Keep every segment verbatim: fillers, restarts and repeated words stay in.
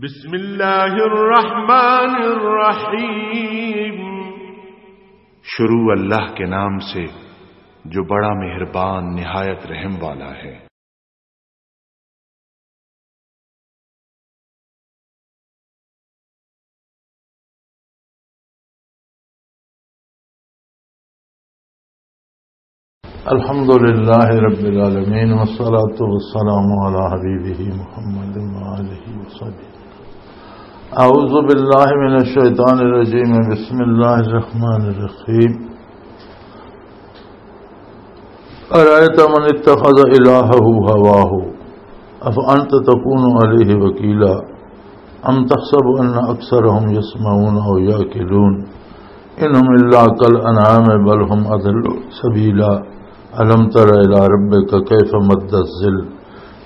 بسم اللہ الرحمن الرحیم۔ شروع اللہ کے نام سے جو بڑا مہربان نہایت رحم والا ہے۔ الحمد لله رب العالمين، والصلاة والسلام على حبيبه محمد وآله وصحبه. أعوذ بالله من الشيطان الرجيم. بسم الله الرحمن الرحيم. أرأيت من اتخذ إلهه هواه أفأنت تكون عليه وكيلا أم تحسب أن أكثرهم يسمعون أو يعقلون إن هم إلا كالأنعام بل هم أضل سبيلا ألم تر إلى ربك كيف مد الظل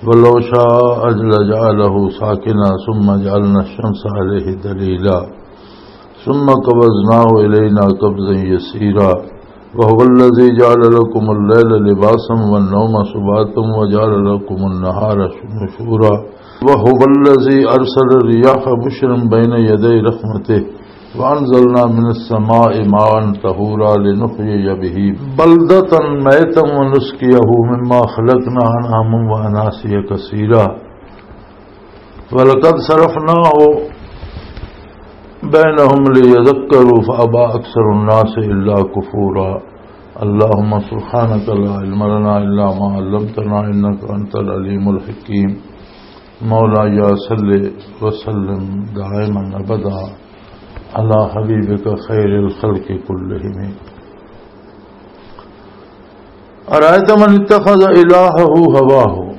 ولو شاء لجعله ساكنا ثم جعلنا الشمس عليه دليلا ثم قبضناه إلينا قبضا يسيرا وهو الذي جعل لكم الليل لباسا والنوم سباتا وجعل لكم النهار نشورا وهو الذي أرسل الرياح بشرا بين يدي رحمته وأنزلنا من السماء ماء طهورا لنحيي به بلدة ميتا ونسقيه مما خلقنا أنعاما وأناسيا كثيرا ولقد صرفناه بينهم ليذكروا فأبى أكثر الناس إلا كفورا. اللهم سبحانك لا علم لنا إلا ما علمتنا إنك أنت العليم الحكيم. مولاي صل وسلم دائما أبدا على حبيبك خير الخلق كلهم. أرأيت من اتخذ إلهه هواه.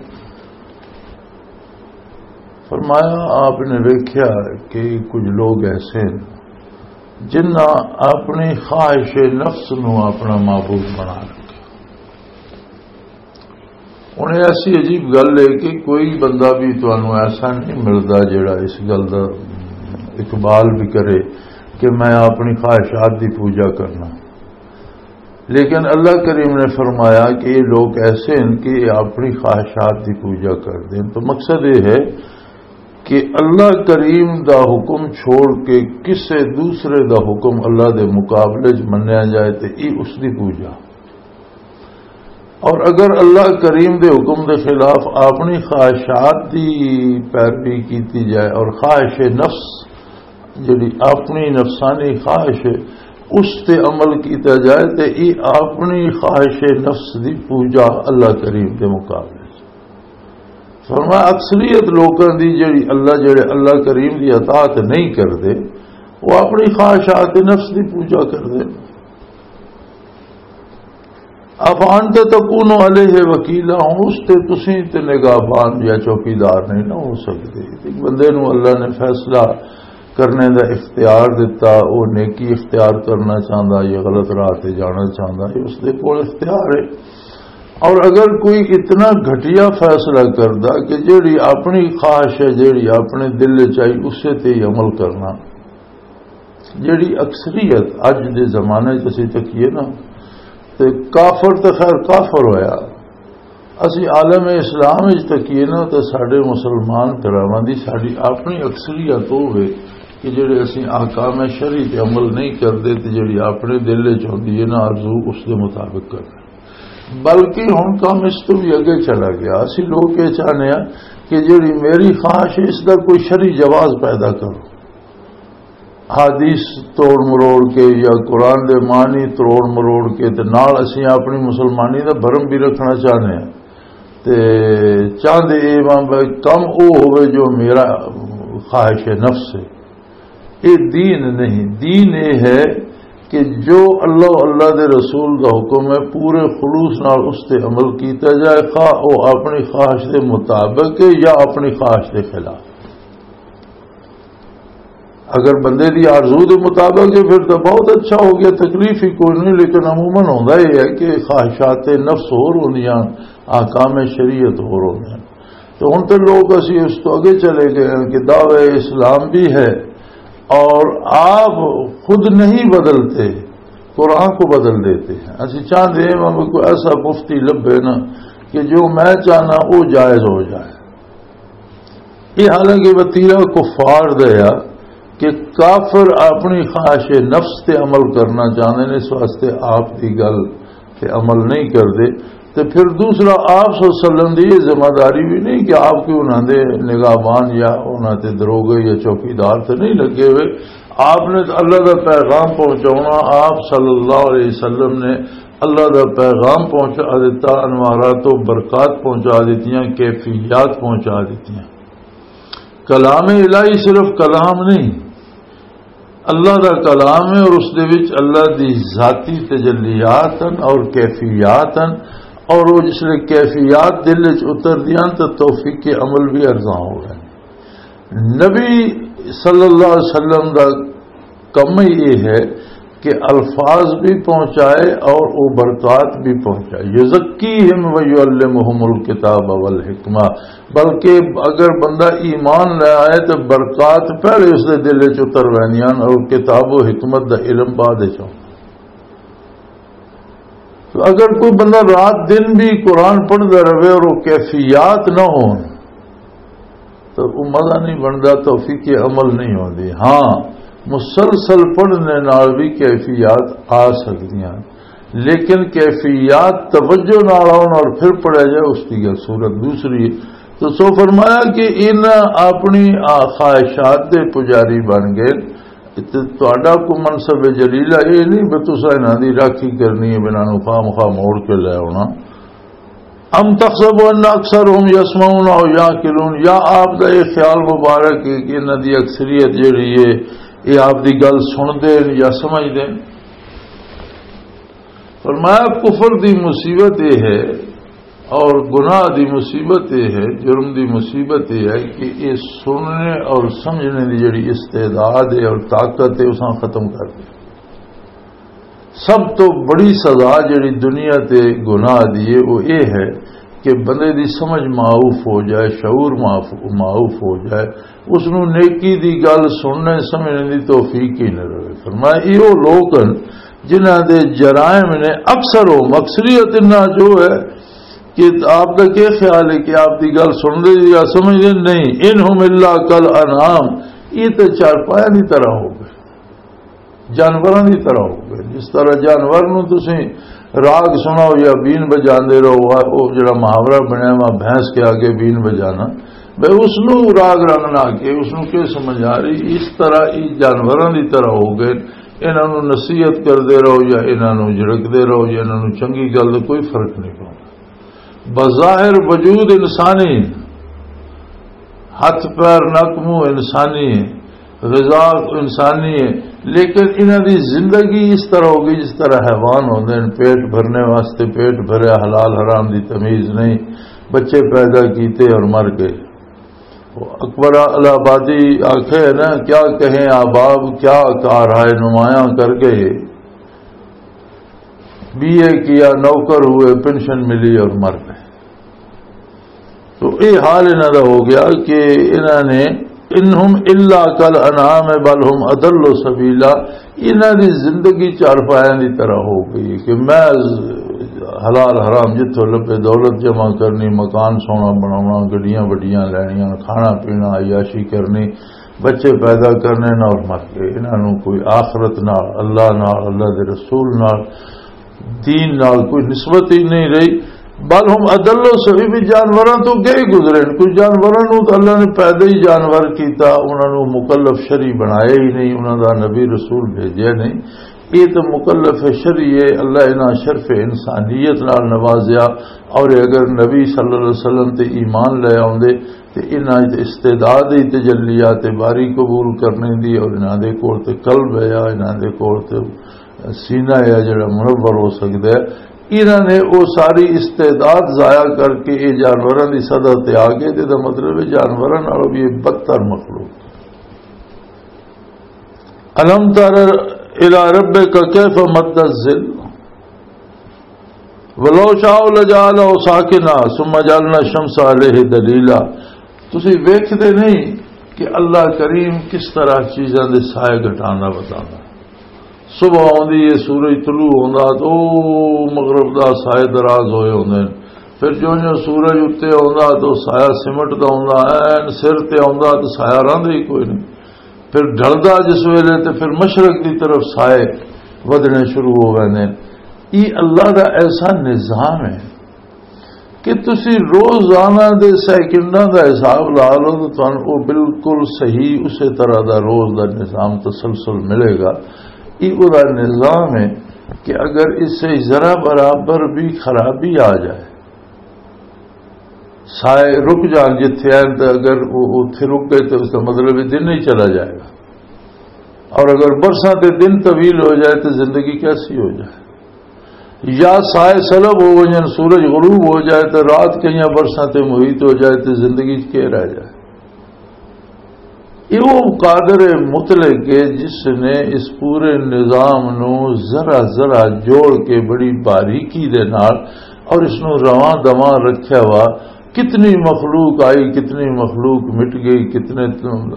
فرمایا، آپ نے ویکھیا کہ کچھ لوگ ایسے ہیں جنہاں اپنی خواہش نفس نو اپنا معبود بنا رکھا۔ ہن ایسی عجیب گل ہے کہ کوئی بندہ بھی تانوں ایسا نہیں ملدا جڑا اس گل دا اقبال بھی کرے کہ میں اپنی خواہشات دی پوجا کرنا۔ لیکن اللہ کریم نے فرمایا کہ یہ لوگ ایسے ہیں کہ یہ اپنی خواہشات کی پوجا کر دیں۔ تو مقصد یہ ہے کہ اللہ کریم دا حکم چھوڑ کے کسے دوسرے دا حکم اللہ دے مقابلے چ منیا جائے تو یہ اس دی پوجا۔ اور اگر اللہ کریم دے حکم دے خلاف اپنی خواہشات دی پیروی کیتی جائے اور خواہش نفس جڑی اپنی نفسانی خواہش ہے، اس تے عمل کیتا جائے تے یہ اپنی خواہش نفس دی پوجا اللہ کریم دے مقابلے چ۔ فرمایا، اکثریت لوکاں دی جڑی اللہ، جڑے اللہ کریم دی اطاعت نہیں کردے، وہ اپنی خواہشات نفس دی پوجا کردے۔ افانت تکون علیہ وکیلا، ہن اس تے تسی تے نگہبان یا چوکیدار نہیں نہ ہو سکدے۔ ایک بندے نوں اللہ نے فیصلہ کرنے دا اختیار دتا، وہ نیکی اختیار کرنا چاہندا یا غلط راہ تے جانا چاہندا، یہ اس دے کول اختیار ہے۔ اور اگر کوئی اتنا گھٹیا فیصلہ کردا کہ جیڑی اپنی خواہش ہے، جیڑی اپنے دل وچ آئی، اسے تے ہی عمل کرنا، جڑی اکثریت اج دے زمانے چ اسی تکیے نا، تے کافر تے خیر کافر ہویا۔ اسی عالم اسلام وچ تکیے نا، تے ساڈے مسلمان بھراواں دی ساڈی اپنی اکثریت ہووے کہ جڑے اسی احکام شرعی تے عمل نہیں کردے، تے جڑی اپنے دل وچ ہوندی ہے نا آرزو، اس دے مطابق کرنا۔ بلکہ ہن کام اس تو بھی اگے چلا گیا۔ اسی لوگ یہ چاہنے ہیں کہ جڑی میری خواہش ہے، اس دا کوئی شرعی جواز پیدا کرو۔ حدیث توڑ مروڑ کے یا قرآن دے معنی توڑ مروڑ کے تے نال اسی اپنی مسلمانی دا بھرم بھی رکھنا چاہنے ہیں۔ تے چاہندے اے وہاں بھائی کم او ہوئے جو میرا خواہش نفس ہے۔ اے دین نہیں۔ دین اے ہے کہ جو اللہ، اللہ دے رسول دا حکم ہے، پورے خلوص نال اس تے عمل کیتا جائے، خواہ او اپنی خواہش دے مطابق ہے یا اپنی خواہش دے خلاف۔ اگر بندے دی آرزو دے مطابق ہے، پھر تو بہت اچھا ہو گیا، تکلیف ہی کوئی نہیں۔ لیکن عموماً ہوندا یہ ہے کہ خواہشات نفس ہور ہوندیاں، احکام شریعت ہور ہوندے ہیں۔ تو ہن تے لوگ اسی اس تو اگے چلے گئے ہیں کہ دعوی اسلام بھی ہے اور آپ خود نہیں بدلتے، قرآن کو بدل دیتے ہیں۔ اسی چاہتے ہیں ہمیں کوئی ایسا مفتی لبھے نا کہ جو میں چاہنا وہ جائز ہو جائے۔ یہ حالانکہ وتیرہ کفار دا ہے کہ کافر اپنی خواہش نفس تے عمل کرنا چاہندے نے، اس واسطے آپ دی گل تے عمل نہیں کردے۔ تے پھر دوسرا، آپ صلی اللہ علیہ وسلم دی یہ ذمہ داری بھی نہیں کہ آپ کوئی انہاں دے نگہبان یا انہاں تے دروگے یا چوکیدار تے نہیں لگے ہوئے۔ آپ نے تو اللہ دا پیغام پہنچاونا، آپ صلی اللہ علیہ وسلم نے اللہ دا پیغام پہنچا دیتا، انوارات و برکات پہنچا دیتیاں، کیفیات پہنچا دیتیاں۔ کلام الہی صرف کلام نہیں، اللہ دا کلام ہے اور اس دے وچ اللہ دی ذاتی تجلیات ہیں اور کیفیات ہیں، اور وہ جس لئے کیفیات دل وچ اتر دیاں تو توفیق عمل بھی ارزاں ہو گئے۔ نبی صلی اللہ علیہ وسلم دا کم ہی یہ ہے کہ الفاظ بھی پہنچائے اور وہ برکات بھی پہنچائے۔ یزکیہم و یعلمہم الکتاب والحکمہ، بلکہ اگر بندہ ایمان لے آئے تو برکات پہلے اس دے دل وچ اتر ویندیاں اور کتاب و حکمت دا علم بعد وچ ہوندا۔ تو اگر کوئی بندہ رات دن بھی قرآن پڑھدا رہے اور وہ کیفیات نہ ہون تو وہ مزہ نہیں بندا، توفیق عمل نہیں ہوندی۔ ہاں، مسلسل پڑھنے نال بھی کیفیات آ سکدیاں، لیکن کیفیات توجہ نال آؤن اور پھر پڑھیا جائے، اس کی گل صورت دوسری ہے۔ تو سو فرمایا کہ ان اپنی آ-، خواہشات دے پجاری بن گئے۔ تے تہاڈا کوئی منصب جلیلہ یہ نہیں بھی تساں انہاں دی راکھی کرنی ہے، انہاں نوں خام خواہ موڑ کے لے آنا۔ ام تحسب ان اکثرهم یسمعون او یعقلون، یا آپ دا یہ خیال مبارک ہے کہ انہاں دی اکثریت جڑی ہے، یہ آپ دی گل سنتے ہیں یا سمجھتے ہیں؟ فرمایا، کفر دی مصیبت یہ ہے اور گناہ دی مصیبت یہ ہے، جرم دی مصیبت یہ ہے کہ یہ سننے اور سمجھنے دی جڑی استعداد ہے اور طاقت ہے، اساں ختم کر دے۔ سب تو بڑی سزا جڑی دنیا تے گناہ دی ہے، وہ یہ ہے کہ بندے دی سمجھ معاف ہو جائے، شعور معاف، معاف ہو جائے، اس نوں نیکی دی گل سننے سمجھنے دی توفیق ہی نہ رہے۔ فرمایا، یہ وہ لوگ ہیں جنہاں دے جرائم نے اکثر ہو، اکثریت انہاں جو ہے کہ آپ کا کیا خیال ہے کہ آپ دی گل سن دے یا سمجھ دے؟ نہیں، ان ہم الا کل انعام، یہ تے چارپایا دی طرح ہو گئے، جانوراں دی طرح ہو گئے۔ جس طرح جانور نوں تسیں راگ سناؤ یا بین بجاندے رہو، وہ جڑا محاورہ بنیا وا بھینس کے آگے بین بجانا، بھئی اس نوں راگ رنگ نہ کے اس نوں کی سمجھ آ رہی؟ اس طرح یہ جانوراں دی طرح ہو گئے، انہاں نوں نصیحت کردے رہو یا انہاں نوں جھڑکدے رہو یا انہاں نوں چنگی گل دا کوئی فرق نہیں پوندا۔ بظاہر وجود انسانی، ہتھ پیر نک منہ انسانی ہے، غذا انسانی ہے، لیکن انہاں دی زندگی اس طرح ہو گئی جس طرح حیوان ہوندے ہیں، پیٹ بھرنے واسطے پیٹ بھریا، حلال حرام دی تمیز نہیں، بچے پیدا کیتے اور مر گئے۔ وہ اکبر الہ آبادی آکھے نا، کیا کہیں احباب، کیا کار ہے نمایاں کر گئے، بی اے کیا، نوکر ہوئے، پینشن ملی اور مر گئے۔ تو یہ حال انہاں دا ہو گیا کہ انہاں نے، انہم الا کل انعام بل ہم اضل سبیلا، انہاں دی زندگی چارپایاں دی طرح ہو گئی کہ میں حلال حرام جتھوں لبے دولت جمع کرنی، مکان سونا بناونا، گڈیاں وڈیاں لینیاں، کھانا پینا، عیاشی کرنی، بچے پیدا کرنے نال اور مر گئے۔ انہاں نوں کوئی آخرت نال، اللہ نال، اللہ دے رسول نال، دین نال کوئی نسبت ہی نہیں رہی۔ بل ہم اضل سبیلا، جانوراں تو گئے گزرے نے۔ کوئی جانوراں نوں تو اللہ نے پیدا ہی جانور کیتا، انہاں نوں مکلف شرعی بنایا ہی نہیں، انہاں دا نبی رسول بھیجیا نہیں۔ یہ تو مکلف شرعی ہے، اللہ انہاں شرف انسانیت نال نوازیا، اور اگر نبی صلی اللہ علیہ وسلم تے ایمان لے آوندے تے انہاں وچ استعداد دی تجلیات باری قبول کرنے دی، اور انہاں دے کول تے قلب ہے، انہاں دے کول تے سینہ ہے جڑا منور ہو سکدا ہے۔ انہاں نے وہ ساری استعداد ضائع کر کے یہ جانوراں دی سطح تے آ گئے، تے دا مطلب ہے جانوراں نالوں بھی یہ بدتر مخلوق۔ الم تر الی ربک کیف مد الظل ولو شاء لجعلہ ساکنا ثم جعلنا الشمس علیہ دلیلا۔ تسی ویکھدے نہیں کہ اللہ کریم کس طرح چیزاں دے سائے گھٹانا بتانا۔ صبح ہوندی ہے، سورج طلوع ہوندا تو مغرب دا سائے دراز ہوئے ہوندے نے۔ پھر جو جو سورج اُتے آوندا تو سایہ سمٹ دا آوندا، این سر تے آوندا تو سایہ رہندا ہی کوئی نہیں۔ پھر ڈھلدا جس ویلے تے پھر مشرق دی طرف سائے ودھنے شروع ہو ویندے۔ یہ اللہ دا ایسا نظام ہے کہ تسی روزانہ دے سیکنڈاں دا حساب لا لو تو تانوں او بالکل صحیح اسی طرح دا روز دا نظام تسلسل ملے گا۔ یہ او دا نظام ہے کہ اگر اس سے ذرا برابر بھی خرابی آ جائے، سائے رک جان جتھے ہیں، تو اگر وہ اتھے رک گئے تو اس کا مطلب ہے دن نہیں چلا جائے گا۔ اور اگر برساں تے دن طویل ہو جائے تو زندگی کیسی ہو جائے؟ یا سائے سلب ہو جائیں، سورج غروب ہو جائے تو رات کئی برساں تے محیط ہو جائے تو زندگی کیا رہ جائے؟ یہ وہ قادر مطلق ہے جس نے اس پورے نظام نو ذرا ذرا جوڑ کے بڑی باریکی دے نال اور اس نو رواں دواں رکھیا وا۔ کتنی مخلوق آئی، کتنی مخلوق مٹ گئی، کتنے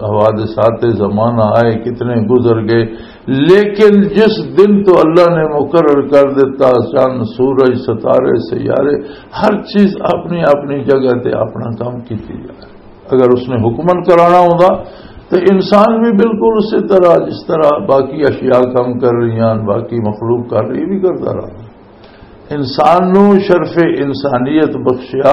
حوادثات زمانہ آئے، کتنے گزر گئے، لیکن جس دن تو اللہ نے مقرر کر دیتا، چند، سورج، ستارے، سیارے، ہر چیز اپنی اپنی جگہ تے اپنا کام کیتی جا رہی۔ اگر اس نے حکمن کرانا ہوندا تو انسان بھی بالکل اسی طرح، جس طرح باقی اشیاء کام کر رہی ہیں، باقی مخلوق کر رہی، بھی کرتا رہا۔ انسان نو شرف انسانیت بخشیا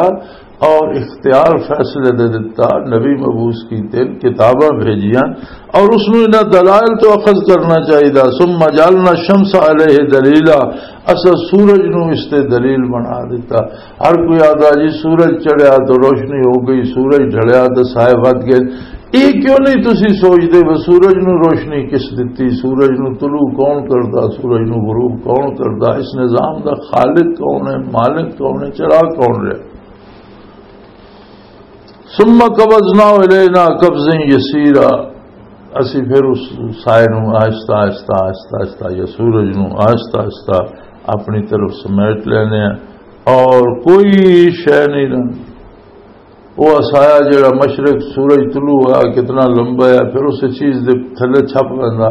اور اختیار فیصلے دے دتا، نبی مبعوث کیتے، کتاباں بھیجیاں اور اس نو انہاں دلائل تو اخذ کرنا چاہیدا۔ ثم جعلنا الشمس علیہ دلیلا، اسا سورج نو اس تے دلیل بنا دیتا۔ ہر کوئی آدھا جی سورج چڑھیا تو روشنی ہو گئی، سورج ڈھلیا تو سائے ود گئے۔ یہ کیوں نہیں تسی سوچدے وہ سورج نو روشنی کس دتی، سورج نو طلوع کون کردا، سورج نو غروب کون کردا، اس نظام دا خالق کون ہے، مالک کون ہے، چلا کون رہا؟ ثم قبضناه الینا قبضا یسیرا، اسی پھر اس سائے نو آہستہ آہستہ آہستہ آہستہ یا سورج نو آہستہ آہستہ اپنی طرف سمیٹ لینے ہیں اور کوئی شے نہیں رہندی۔ وہ سایہ جڑا مشرق سورج طلوع ہوا کتنا لمبا ہے، پھر اس چیز دے تھلے چھپ ویندا،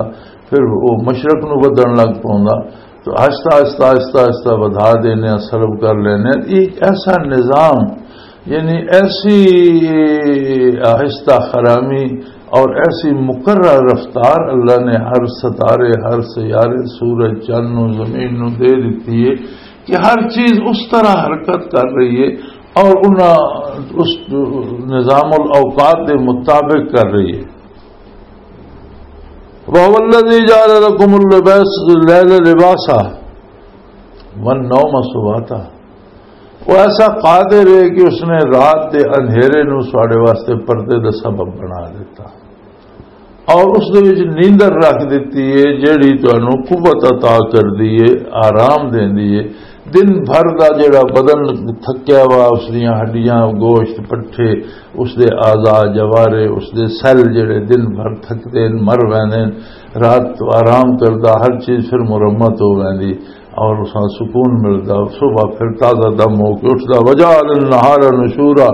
پھر وہ مشرق نو ودھن لگ پوندا۔ تو آہستہ آہستہ آہستہ آہستہ ودھا دینے، سلب کر لینے۔ یہ ایک ایسا نظام، یعنی ایسی آہستہ خرامی اور ایسی مقرر رفتار اللہ نے ہر ستارے، ہر سیارے، سورج، چند نو، زمین نو دے دیتی ہے کہ ہر چیز اس طرح حرکت کر رہی ہے اور انہاں اس نظام الاوقات دے مطابق کر رہی ہے۔ وَهُوَ الَّذِي جَعَلَ لَكُمُ اللَّيْلَ لِبَاسًا وَالنَّوْمَ سُبَاتًا۔ وہ ایسا قادر ہے کہ اس نے رات دے اندھیرے نو ساڈے واسطے پردے دا سبب بنا دیتا اور اس دے وچ نیندر رکھ دتی ہے، جیڑی تانوں قوت عطا کر دی ہے، آرام دیندی ہے۔ دن بھر دا جیڑا بدن تھکیا ہوا، اس دیاں ہڈیاں، گوشت، پٹھے، اس دے اعضاء، جوارے، اس دے سیل جیڑے دن بھر تھکدے ہن، مر ویندے ہن، رات آرام کردا، ہر چیز پھر مرمت ہو ویندی اور اساں سکون ملدا، صبح پھر تازہ دم ہو کے اٹھدا۔ وجعل النهار نشورا،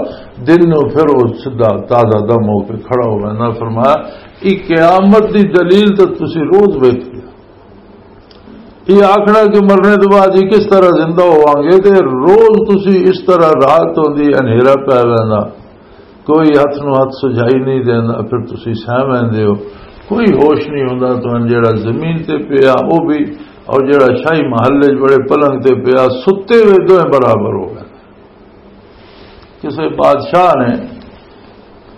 دن نو پھر وہ سیدھا تازہ دم ہو کے کھڑا ہو ویندا۔ فرمایا، یہ قیامت دی دلیل تو تسی روز ویکھدے ہو۔ یہ آکھنا کہ مرنے تو بعد یہ کس طرح زندہ ہوواں گے، تے روز تسی اس طرح رات ہوندی، انہیرا پے ویندا، کوئی ہاتھ نو ہاتھ سجائی نہیں دیندا، پھر تسی سہ ویندے ہو، کوئی ہوش نہیں ہوندا تہانوں۔ جیڑا زمین تے پیا وہ بھی، اور جیڑا شاہی محل وچ بڑے پلنگ تے پیا، ستے ہوئے دوئے برابر ہو گئے۔ کسے بادشاہ نے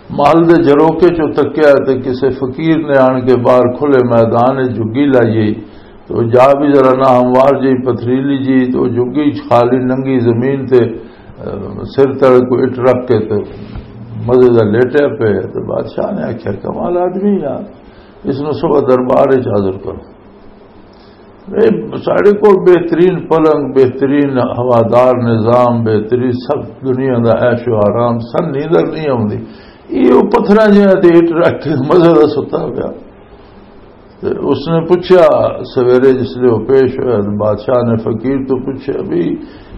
محل دے جھروکے چوں تکیا تے کسے فقیر نے آن کے باہر کھلے میدان وچ جھگی لائی، تو جا بھی ذرا ناہموار جی، پتھریلی جی، تو جھگی خالی ننگی زمین تے، اہ، سر تل کوئی اٹ رکھ کے تے مزے دا لیٹیا پے۔ تو بادشاہ نے آکھیا، "کمال آدمی یار، اس نو صبح دربار وچ حاضر کرو۔" اے ساڈے کول بہترین پلنگ، بہترین ہوادار نظام، بہترین سب دنیا دا عیش و آرام، سن نیندر نہیں آوندی۔ یہ وہ پتھراں جہاں تے اٹ رکھ کے مزے دا ستا پیا۔ تے اس نے پوچھا، سویرے جس لے وہ پیش ہویا، بادشاہ نے فقیر تو پوچھا، "بھی،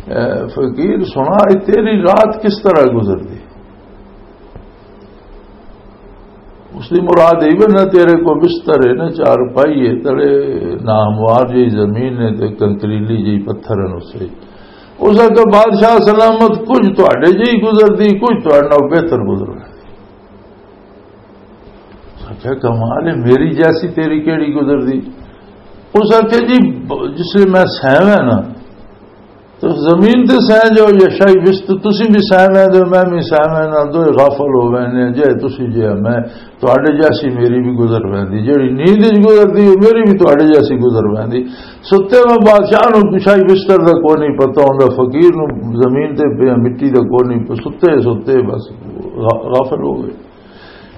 اے، فقیر سنا، اے تیری رات کس طرح گزر دی؟" اس دی مراد یہ بھی نہ تیرے کو بستر ہے، نہ چارپائی ہے، تیرے ناہموار جی زمین ہے تے کنکریلی جی پتھر ہیں اسے۔ اس آخیا، بادشاہ سلامت، کچھ تہاڈے جہی گزردی، کچھ تہاڈے نال بہتر گزر۔ آخیا، کمال ہے، میری جیسی تیری کیڑی گزردی؟ اس آخیا، جی، جس لیے میں سہم ہے نا، تو زمین تے سہ جاؤ یا شاہی بستر، تسی بھی سہ ویندے ہو، میں بھی سہ وینداں، دوئے غافل ہو ویندے ہیں، جے تسی جے میں، تہاڈے جیسی میری بھی گزر ویندی، جیڑی نیند وچ گزردی ہے، میری بھی تہاڈے جیسی گزر ویندی۔ ستے میں بادشاہ نوں شاہی بستر دا کوئی نہیں پتہ ہوندا، فقیر نوں زمین تے پیا مٹی دا کوئی نہیں، ستے ستے بس غا-، غافل ہو گئے۔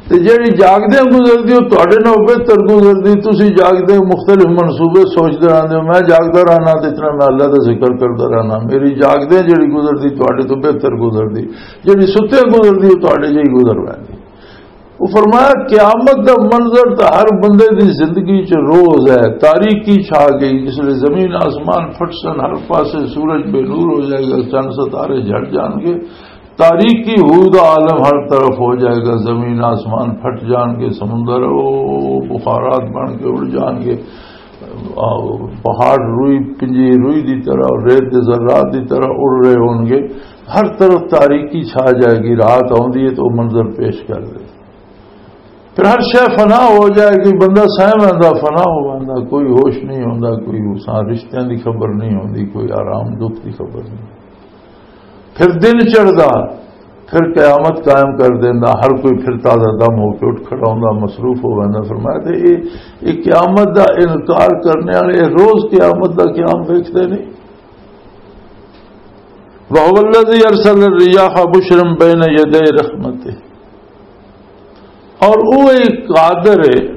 تے جیڑی جاگدے گزردی، او تہاڈے نال بہتر گزردی۔ تسی جاگدے مختلف منصوبے سوچدے رہندے ہو، میں جاگدا رہنا تے اتنا میں اللہ دا ذکر کردا رہنا۔ میری جاگدے جیڑی گزردی، تہاڈے تو بہتر گزردی۔ جیڑی ستے گزردی، او تہاڈے جہی گزر ویندی۔ وہ فرمایا، قیامت دا منظر تے ہر بندے دی زندگی چ روز ہے۔ تاریکی چھا گئی، جس لے زمین آسمان پھٹسن، ہر پاسے سورج بے نور ہو جائے گا، چند ستارے جھڑ جان گے۔ تاریکی ہو دا عالم ہر طرف ہو جائے گا، زمین آسمان پھٹ جان گے، سمندر او بخارات بن کے اڑ جان گے، آ، پہاڑ روئی، پنجی روئی دی طرح، ریت دے ذرات دی طرح اڑ رہے ہون گے۔ ہر طرف تاریکی چھا جائے گی، رات آوندی ہے تو منظر پیش کر دے۔ پھر ہر شے فنا ہو جائے گی، بندہ سہ ویندا، فنا ہو ویندا، کوئی ہوش نہیں ہوندا، کوئی اس رشتیاں دی خبر نہیں ہوندی، کوئی آرام دکھ دی خبر نہیں۔ پھر دن چڑھدا، پھر قیامت قائم کر دیندا، ہر کوئی پھر تازہ دم ہو کے اٹھ کھڑا ہوندا، مصروف ہو ویندا۔ فرمایا تے اے، اے قیامت دا انکار کرنے والے روز قیامت دا قیام ویکھدے نہیں۔ وَهُوَ الَّذِي أَرْسَلَ الرِّيَاحَ بُشْرًا بَيْنَ يَدَيْ رَحْمَتِهِ۔ اور وہ ایک قادر ہے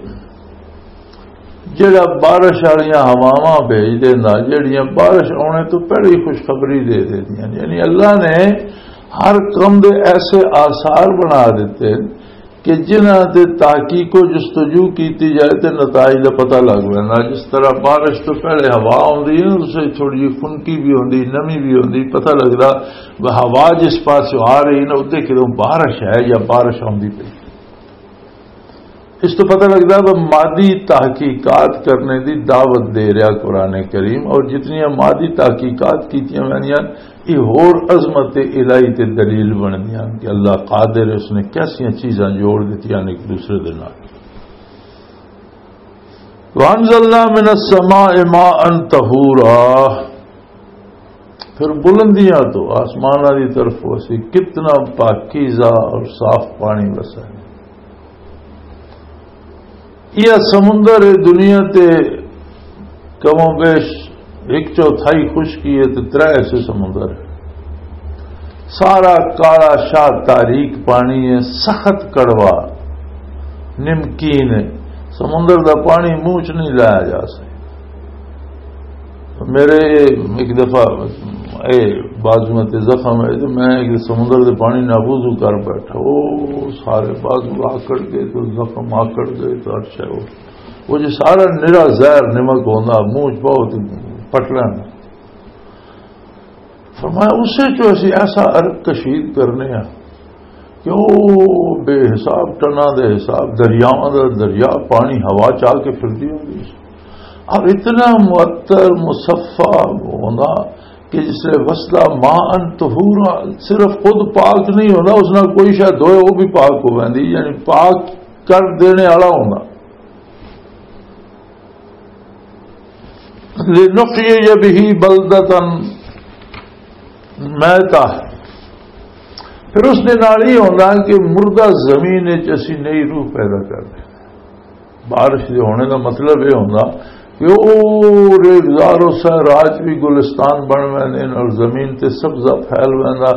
جڑا بارش والیاں ہواواں بھیج دینا، جڑیاں بارش آنے تو پہلے ہی خوشخبری دے دیندیاں۔ یعنی اللہ نے ہر کم دے ایسے آثار بنا دیتے کہ جنہاں تے تحقیق و جستجو کیتی جائے تے نتائج دا پتہ لگ ویندا۔ جس طرح بارش تو پہلے ہوا آندی ہے نا، اس وچ تھوڑی جی خنکی بھی ہوندی، نمی بھی ہوندی، پتہ لگدا وہ ہوا جس پاسوں آ رہی نا، اتنے کدوں بارش ہے یا بارش آندی پئی۔ اس تو پتہ لگدا وہ مادی تحقیقات کرنے دی دعوت دے رہا قرآن کریم، اور جتنی مادی تحقیقات کیتیاں ویندیاں، یہ ہور عظمت الہی تے دلیل بندیاں کہ اللہ قادر ہے، اس نے کیسیاں چیزاں جوڑ دتیاں نے ایک دوسرے دے نال۔ وَأَنزَلْنَا مِنَ السَّمَاءِ مَاءً طَهُورًا۔ پھر بلندیاں تو آسماناں دی طرف اسی کتنا پاکیزہ اور صاف پانی وسا ہے۔ یہ سمندر ہے دنیا تے کم و بیش ایک چوتھائی خشکی ہے تے ترے ایسے سمندر ہے۔ سارا کالا شاہ تاریک پانی ہے، سخت کڑوا، نمکین ہے۔ سمندر دا پانی منہ چ نہیں لایا جا سکتا۔ میرے ایک دفعہ اے بازو تے زخم ہے تو میں ایک سمندر دے پانی نال وضو کر بیٹھا، او سارے بازو آکڑ گئے تو زخم آکڑ گئے تو اچھا وہ، وہ جو سارا نرا زہر نمک ہوندا منہ چ پاؤ تے پٹ لینا۔ فرمایا، اسے چو اسی ایسا عرق کشید کرنے ہیں کہ او بے حساب ٹنا دے حساب دریاواں دا دریا پانی ہوا چا کے پھردی ہوندی ہے۔ اب اتنا معطر مصفا ہونا کہ جس سے وسدا ماء طہورا، صرف خود پاک نہیں ہونا، اس نال کوئی شاید دھوئے وہ بھی پاک ہو ویندی، یعنی پاک کر دینے والا ہونا۔ لِنُحْيِيَ بِهِ بَلْدَةً مَيْتًا۔ پھر اس دے نال ہی ہوندا کہ مردہ زمین وچ اسی نئی روح پیدا کر دیں۔ بارش دے ہونے دا مطلب یہ ہوندا کہ او ریگزار و صحرا چ بھی گلستان بن ویندے نے اور زمین تے سبزہ پھیل ویندا۔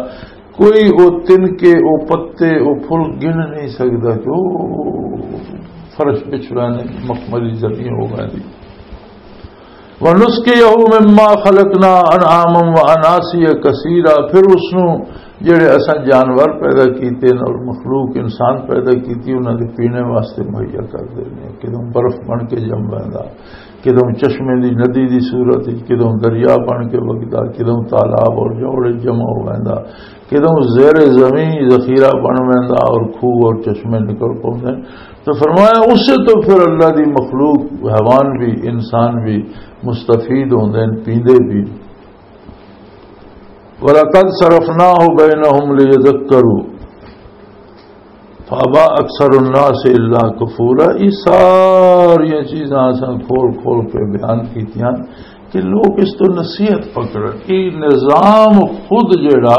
کوئی او تنکے، او پتے، او پھل گن نہیں سکدا کہ او فرش بچھ رہے نے، مخملی زمین ہو گئی۔ وَنُسْقِيَهُ مِمَّا خَلَقْنَا أَنْعَامًا وَأَنَاسِيَّ كَثِيرًا، پھر اس نوں جڑے اساں جانور پیدا کیتے نے اور مخلوق انسان پیدا کیتی، انہاں دے پینے واسطے مہیا کر دینے۔ کدوں برف بن کے جم ویندا، کدوں چشمے دی ندی دی صورت وچ، کدوں دریا بن کے وگدا، کدوں تالاب اور جوڑ وچ جمع ہو ویندا، کدوں زیر زمین ذخیرہ بن ویندا اور کھوہ اور چشمے نکل پوندے۔ تو فرمایا، اس سے تو پھر اللہ دی مخلوق، حیوان بھی، انسان بھی مستفید ہوندے نے، پیندے بھی۔ وَلَقَدْ صَرَفْنَاهُ بَيْنَهُمْ لِيَذَّكَّرُوا فَأَبَى أَكْثَرُ النَّاسِ إِلَّا كُفُورًا۔ یہ ساری چیزاں اساں کھول کھول کے بیان کیتیاں کہ لوگ اس تو نصیحت پکڑن۔ یہ نظام خود جڑا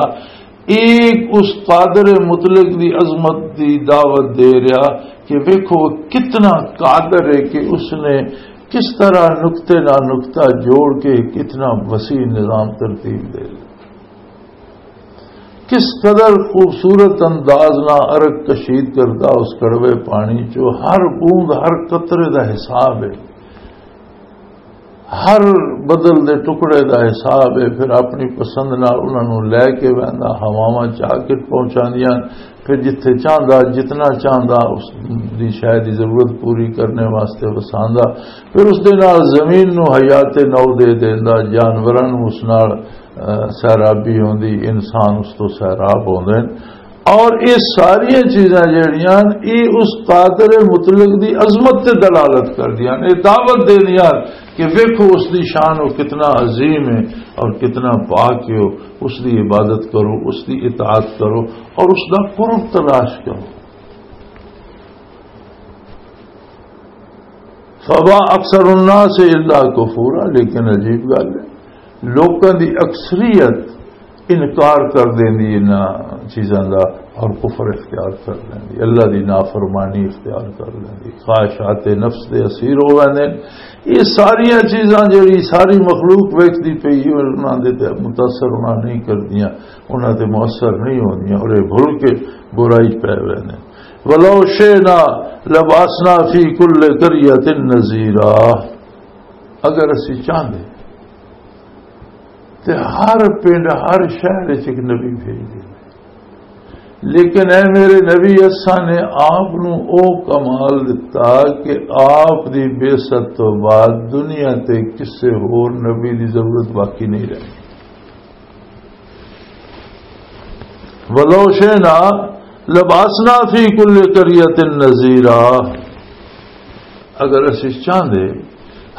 ایک اس قادر مطلق دی عظمت دی دعوت دے رہا کہ ویکھو کتنا قادر ہے کہ اس نے کس طرح نقطے نہ نقطہ جوڑ کے کتنا وسیع نظام ترتیب دے لیا۔ کس قدر خوبصورت انداز نہ عرق کشید کردا اس کڑوے پانی چو، ہر بوند ہر قطرے دا حساب ہے، ہر بدل دے ٹکڑے دا حساب ہے۔ پھر اپنی پسند نال انہاں نوں لے کے ویندا، ہواواں چا کے پہنچاندیاں، پھر جتھے چاہندا، جتنا چاہندا، اس دی شاید دی ضرورت پوری کرنے واسطے وساندا۔ پھر اس دے نال زمین نوں حیات نو دے دیندا، جانوراں نوں اس نال، اہ، سیرابی ہوندی، انسان اس تو سیراب ہوندے۔ اور یہ ساری چیزاں جڑیاں، یہ اس قادر مطلق دی عظمت تے دلالت کردیاں، یہ دعوت دیندیاں کہ ویکھو اس دی شان وہ کتنا عظیم ہے اور کتنا پاک ہے، اس دی عبادت کرو، اس دی اطاعت کرو اور اس دا قرب تلاش کرو۔ فَأَبَى أَكْثَرُ النَّاسِ إِلَّا كُفُورًا، لیکن عجیب گل ہے، لوکاں دی اکثریت انکار کر دیندی انہاں چیزاں دا اور کفر اختیار کر لیندی، اللہ دی نافرمانی اختیار کر لیندی، خواہشات نفس دے اسیر ہو ویندے۔ یہ ساریاں چیزاں جڑی ساری مخلوق ویکھدی پئی ہے، انہاں دے تے متاثر انہاں نہیں کردیاں، انہاں تے مؤثر نہیں ہوندیاں اور یہ بھل کے برائی پہ ویندے۔ وَلَوْ شِئْنَا لَبَعَثْنَا فِي كُلِّ قَرْيَةٍ نَذِيرًا۔ اگر اسی چاہندے تے ہر پنڈ، ہر شہر وچ ایک نبی بھیج دے۔ لیکن اے میرے نبی، اساں نے آپ نو او کمال دتا کہ آپ دی بعثت تو بعد دنیا تے کسے ہور نبی دی ضرورت باقی نہیں رہی۔ وَلَوْ شِئْنَا لَبَعَثْنَا فِي كُلِّ قَرْيَةٍ نَذِيرًا۔ اگر اسی چاہندے،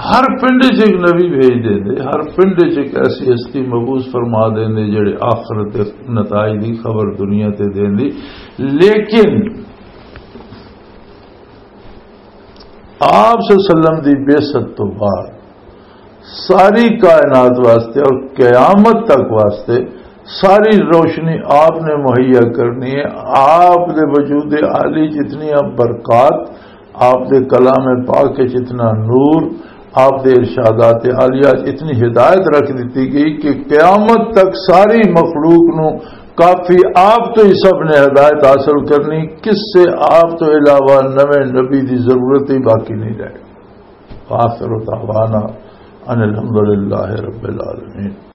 ہر پنڈ چ ایک نبی بھیج دیندے، ہر پنڈ چ ایک ایسی ہستی مبعوث فرما دیندے جڑے آخرت دے نتائج دی خبر دنیا تے دیندی۔ لیکن آپ صلی اللہ علیہ وسلم دی بعثت تو بعد ساری کائنات واسطے اور قیامت تک واسطے ساری روشنی آپ نے مہیا کرنی ہے۔ آپ دے وجود عالی جتنی برکات، آپ دے کلام پاک وچ اتنا نور، آپ دے ارشادات عالیہ وچ اتنی ہدایت رکھ دتی گئی کہ قیامت تک ساری مخلوق نو کافی آپ تو ہی سب نے ہدایت حاصل کرنی، کس سے آپ تو علاوہ نویں نبی دی ضرورت ہی باقی نہیں رہے۔ وآخر دعوانا ان الحمد للہ رب العالمین۔